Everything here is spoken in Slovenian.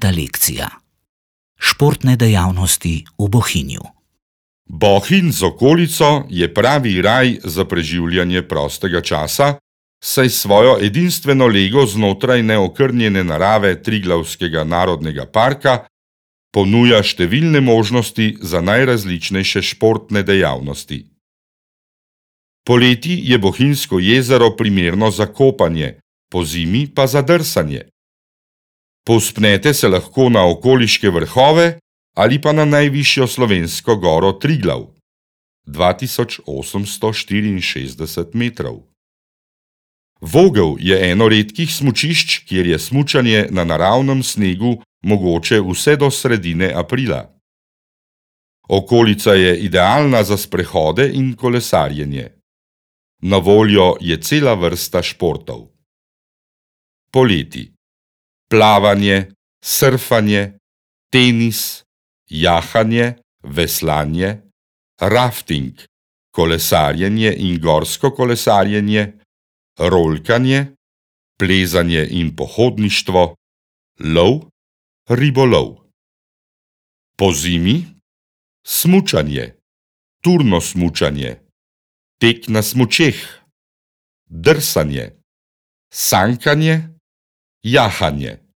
Deseta lekcija. Športne dejavnosti v Bohinju. Bohinj z okolico je pravi raj za preživljanje prostega časa, saj svojo edinstveno lego znotraj neokrnjene narave Triglavskega narodnega parka ponuja številne možnosti za najrazličnejše športne dejavnosti. Poleti je Bohinjsko jezero primerno za kopanje, pozimi pa za drsanje. Povzpnete se lahko na okoliške vrhove ali pa na najvišjo slovensko goro Triglav, 2864 metrov. Vogel je eno redkih smučišč, kjer je smučanje na naravnem snegu mogoče vse do sredine aprila. Okolica je idealna za sprehode in kolesarjenje. Na voljo je cela vrsta športov. Poleti: plavanje, surfanje, tenis, jahanje, veslanje, rafting, kolesarjenje in gorsko kolesarjenje, rolkanje, plezanje in pohodništvo, lov, ribolov. Pozimi: smučanje, turno smučanje, tek na smučeh, drsanje, sankanje, jahanje.